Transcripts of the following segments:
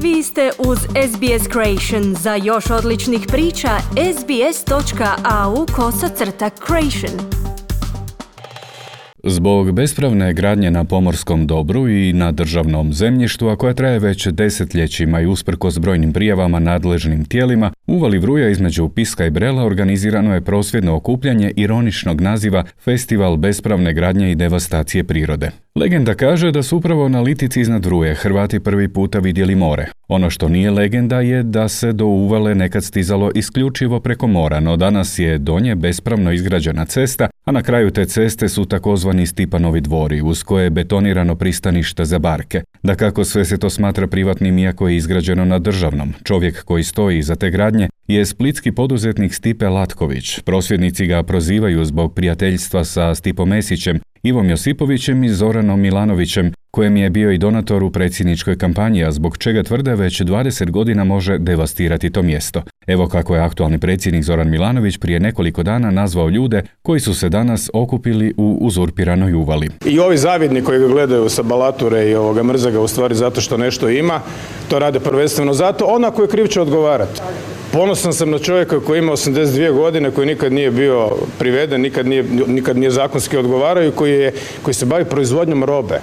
Vi ste uz SBS Creation. Za još odličnih priča, sbs.au/creation. Zbog bespravne gradnje na pomorskom dobru i na državnom zemljištu, a koja traje već desetljećima i usprkos brojnim prijavama nadležnim tijelima, u Uvali Vruja između Piska i Brela organizirano je prosvjedno okupljanje ironičnog naziva Festival bespravne gradnje i devastacije prirode. Legenda kaže da su upravo na litici iznad Vruje Hrvati prvi puta vidjeli more. Ono što nije legenda je da se do Uvale nekad stizalo isključivo preko mora, no danas je do nje bespravno izgrađena cesta, a na kraju te ceste su takozvani Stipanovi dvori, uz koje je betonirano pristanište za barke. Dakako, sve se to smatra privatnim iako je izgrađeno na državnom. Čovjek koji stoji iza te gradnje je splitski poduzetnik Stipe Latković. Prosvjednici ga prozivaju zbog prijateljstva sa Stipom Mesićem, Ivom Josipovićem i Zoranom Milanovićem, kojem je bio i donator u predsjedničkoj kampanji, a zbog čega tvrde već 20 godina može devastirati to mjesto. Evo kako je aktualni predsjednik Zoran Milanović prije nekoliko dana nazvao ljude koji su se danas okupili u uzurpiranoj Uvali. I ovi zavidni koji ga gledaju sa balature i mrze ga u stvari zato što nešto ima, to rade prvenstveno zato. Ona koji je kriv će odgovarati. Ponosan sam na čovjeka koji ima 82 godine, koji nikad nije bio priveden, nikad nije zakonski odgovarao i koji se bavi proizvodnjom robe.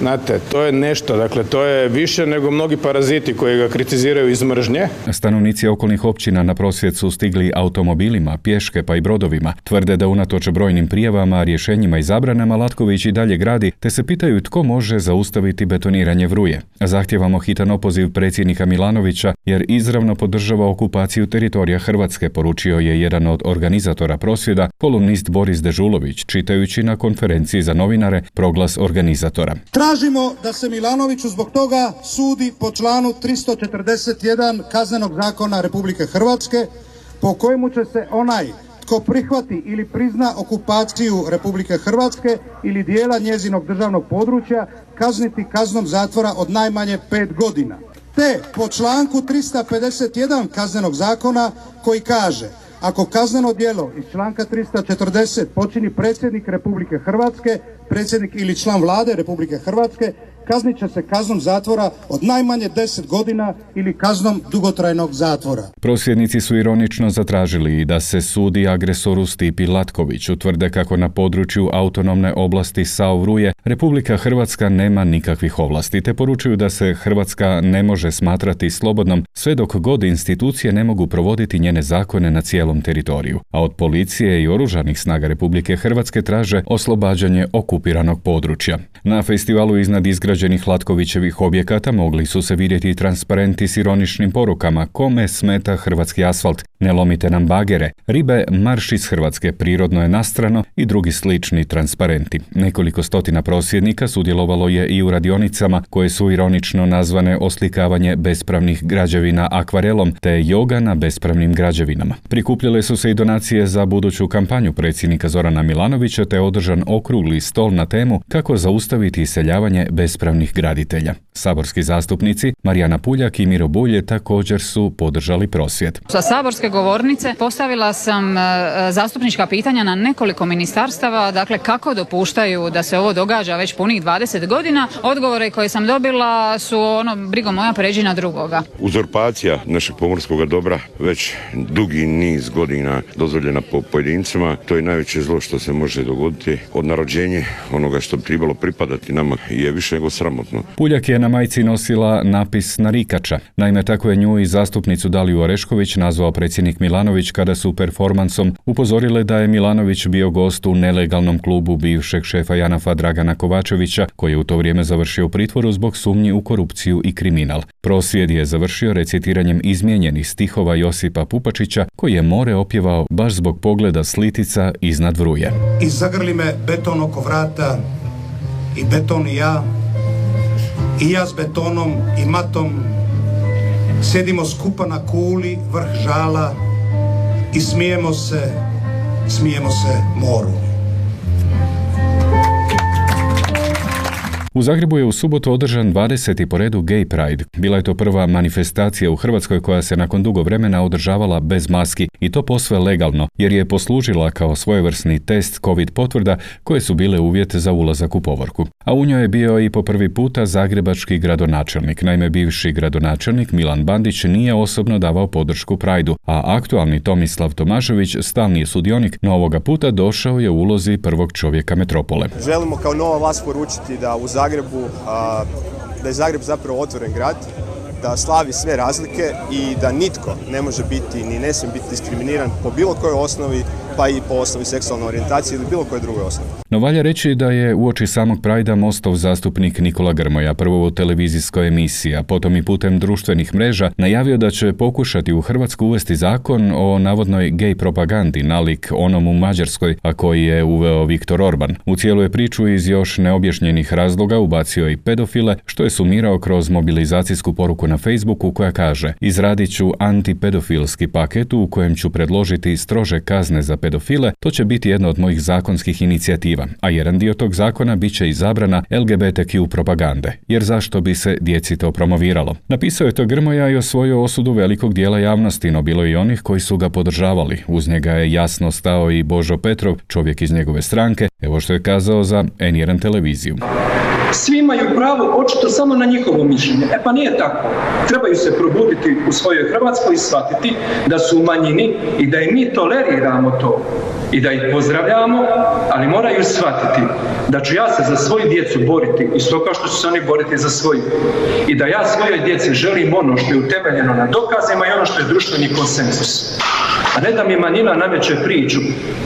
Znate, to je nešto, dakle, to je više nego mnogi paraziti koji ga kritiziraju iz mržnje. Stanovnici okolnih općina na prosvjed su stigli automobilima, pješke pa i brodovima. Tvrde da unatoč brojnim prijavama, rješenjima i zabranama Latković i dalje gradi, te se pitaju tko može zaustaviti betoniranje Vruje. Zahtijevamo hitan opoziv predsjednika Milanovića jer izravno podržava okupaciju teritorija Hrvatske, poručio je jedan od organizatora prosvjeda, kolumnist Boris Dežulović, čitajući na konferenciji za novinare proglas organizatora. Tražimo da se Milanoviću zbog toga sudi po članu 341 Kaznenog zakona Republike Hrvatske, po kojemu će se onaj tko prihvati ili prizna okupaciju Republike Hrvatske ili dijela njezinog državnog područja kazniti kaznom zatvora od najmanje 5 godina. Te po članku 351 Kaznenog zakona koji kaže: ako kazneno djelo iz članka 340 počini predsjednik Republike Hrvatske, predsjednik ili član vlade Republike Hrvatske, kaznit će se kaznom zatvora od najmanje 10 godina ili kaznom dugotrajnog zatvora. Prosvjednici su ironično zatražili da se sudi agresoru Stipi Latkoviću. Tvrde kako na području autonomne oblasti Sao Vruje Republika Hrvatska nema nikakvih ovlasti, te poručuju da se Hrvatska ne može smatrati slobodnom sve dok god institucije ne mogu provoditi njene zakone na cijelom teritoriju. A od policije i oružanih snaga Republike Hrvatske traže oslobađanje okupiranog područja. Na festivalu iznad izgrađenih Latkovićevih objekata mogli su se vidjeti transparenti s ironičnim porukama: kome smeta hrvatski asfalt, ne lomite nam bagere, ribe marš iz Hrvatske, prirodno je nastrano i drugi slični transparenti. Nekoliko stotina prosvjednika sudjelovalo je i u radionicama koje su ironično nazvane oslikavanje bespravnih građevina akvarelom te joga na bespravnim građevinama. Prikupljale su se i donacije za buduću kampanju predsjednika Zorana Milanovića te održan okrugli stol na temu kako zaustaviti iseljavanje bespravnih graditelja. Saborski zastupnici Marijana Puljak i Miro Bulj također su podržali prosvjed. Sa saborske govornice postavila sam zastupnička pitanja na nekoliko ministarstava, dakle kako dopuštaju da se ovo događa već punih 20 godina. Odgovore koje sam dobila su brigo moja pređi na drugoga. Uzurpacija našeg pomorskog dobra već dugi niz godina dozvoljena po pojedincima. To je najveće zlo što se može dogoditi. Od narođenja onoga što bi trebalo pripadati nama je više nego sramotno. Puljak je na majici nosila napis narikača. Naime, tako je nju i zastupnicu Daliju Orešković nazvao predsjednik Milanović kada su performansom upozorile da je Milanović bio gost u nelegalnom klubu bivšeg šefa JANAF-a Dragana Kovačevića, koji je u to vrijeme završio u pritvoru zbog sumnji u korupciju i kriminal. Prosvjed je završio recitiranjem izmijenjenih stihova Josipa Pupačića, koji je more opjevao baš zbog pogleda s litica iznad Vruje. I zagrli me beton oko vrata, i beton i ja s betonom i matom, sjedimo skupa na kuli vrh žala i smijemo se moru. U Zagrebu je u subotu održan 20. po redu Gay Pride. Bila je to prva manifestacija u Hrvatskoj koja se nakon dugo vremena održavala bez maski i to posve legalno, jer je poslužila kao svojevrsni test COVID potvrda koje su bile uvjet za ulazak u povorku. A u njoj je bio i po prvi puta zagrebački gradonačelnik. Naime, bivši gradonačelnik Milan Bandić nije osobno davao podršku Prideu, a aktualni Tomislav Tomašević, stalni je sudionik, no ovoga puta došao je u ulozi prvog čovjeka metropole. Želimo kao nova vlast poručiti da u Zagrebu, da je Zagreb zapravo otvoren grad, da slavi sve razlike i da nitko ne može biti ni ne smije biti diskriminiran po bilo kojoj osnovi, pa i po osnovi seksualne orijentacije ili bilo koje druge osnovi. No valja reći da je uoči samog Pridea Mostov zastupnik Nikola Grmoja prvo u televizijskoj emisiji, a potom i putem društvenih mreža najavio da će pokušati u Hrvatsku uvesti zakon o navodnoj gej propagandi nalik onom u Mađarskoj, a koji je uveo Viktor Orban. U cijelu je priču iz još neobjašnjenih razloga ubacio i pedofile, što je sumirao kroz mobilizacijsku poruku na Facebooku koja kaže: izradit ću antipedofilski paket u kojem ću predložiti strože kazne za pedofile, to će biti jedna od mojih zakonskih inicijativa, a jedan dio tog zakona bit će i zabrana LGBTQ propagande, jer zašto bi se djeci to promoviralo. Napisao je to Grmoja i osvojio osudu velikog dijela javnosti, no bilo i onih koji su ga podržavali. Uz njega je jasno stao i Božo Petrov, čovjek iz njegove stranke, evo što je kazao za N1 televiziju. Svi imaju pravo očito samo na njihovo mišljenje. Pa nije tako. Trebaju se probuditi u svojoj Hrvatskoj i shvatiti da su u manjini i da im mi toleriramo to i da ih pozdravljamo, ali moraju shvatiti da ću ja se za svoju djecu boriti isto kao što će se oni boriti za svoju. I da ja svojoj djeci želim ono što je utemeljeno na dokazima i ono što je društveni konsenzus. A ne da mi manjina nameće priču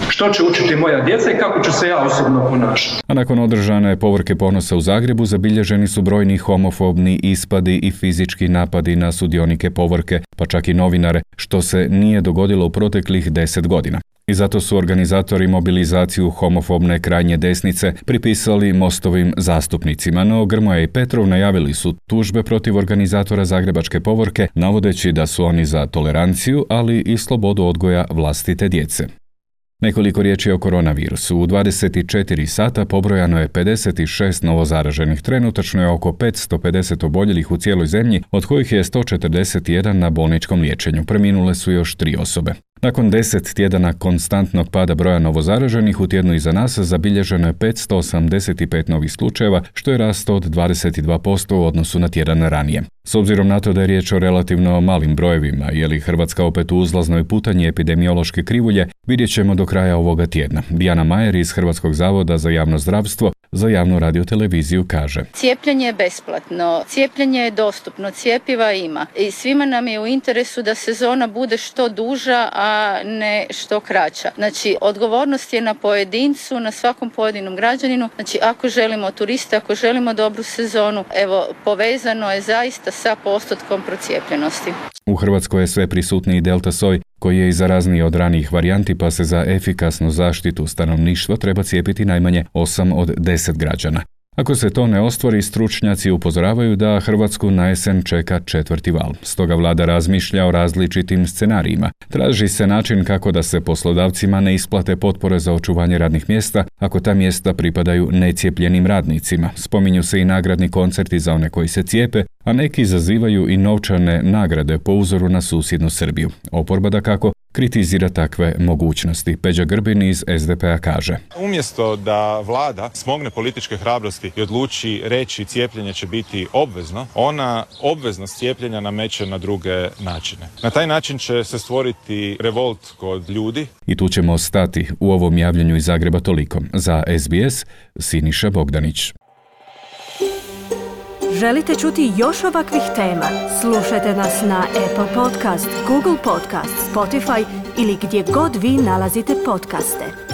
što će učiti moja djeca i kako ću se ja osobno ponašati. A nakon održane povorke ponosa u Zagrebu zabilježeni su brojni homofobni ispadi i fizički napadi na sudionike povorke, pa čak i novinare, što se nije dogodilo u proteklih 10 godina. I zato su organizatori mobilizaciju homofobne krajnje desnice pripisali Mostovim zastupnicima, no Grmoja i Petrov najavili su tužbe protiv organizatora zagrebačke povorke, navodeći da su oni za toleranciju, ali i slobodu odgoja vlastite djece. Nekoliko riječi o koronavirusu. U 24 sata pobrojano je 56 novozaraženih. Trenutačno je oko 550 oboljelih u cijeloj zemlji, od kojih je 141 na bolničkom liječenju. Preminule su još 3 osobe. Nakon 10 tjedana konstantnog pada broja novozaraženih, u tjednu iza nas zabilježeno je 585 novih slučajeva, što je rast od 22% u odnosu na tjedan ranije. S obzirom na to da je riječ o relativno malim brojevima, je li Hrvatska opet u uzlaznoj putanji epidemiološke krivulje, vidjet ćemo do kraja ovoga tjedna. Dijana Majer iz Hrvatskog zavoda za javno zdravstvo za javnu radioteleviziju kaže: cijepljenje je besplatno, cijepljenje je dostupno, cjepiva ima i svima nam je u interesu da sezona bude što duža, a ne što kraća. Znači, odgovornost je na pojedincu, na svakom pojedinom građaninu. Znači, ako želimo turiste, ako želimo dobru sezonu, evo, povezano je zaista sa postotkom procijepljenosti. U Hrvatskoj je sve prisutniji delta soj, koji je i zarazniji od ranijih varijanti, pa se za efikasnu zaštitu stanovništva treba cijepiti najmanje 8 od 10 građana. Ako se to ne ostvari, stručnjaci upozoravaju da Hrvatsku na jesen čeka 4. val. Stoga vlada razmišlja o različitim scenarijima. Traži se način kako da se poslodavcima ne isplate potpore za očuvanje radnih mjesta ako ta mjesta pripadaju necijepljenim radnicima. Spominju se i nagradni koncerti za one koji se cijepe, a neki zazivaju i novčane nagrade po uzoru na susjednu Srbiju. Oporba dakako kritizira takve mogućnosti. Peđa Grbin iz SDP-a kaže: umjesto da vlada smogne političke hrabrosti i odluči reći cijepljenje će biti obvezno, ona obveznost cijepljenja nameće na druge načine. Na taj način će se stvoriti revolt kod ljudi. I tu ćemo stati. U ovom javljanju iz Zagreba toliko. Za SBS, Siniša Bogdanić. Želite čuti još ovakvih tema? Slušajte nas na Apple Podcast, Google Podcast, Spotify ili gdje god vi nalazite podcaste.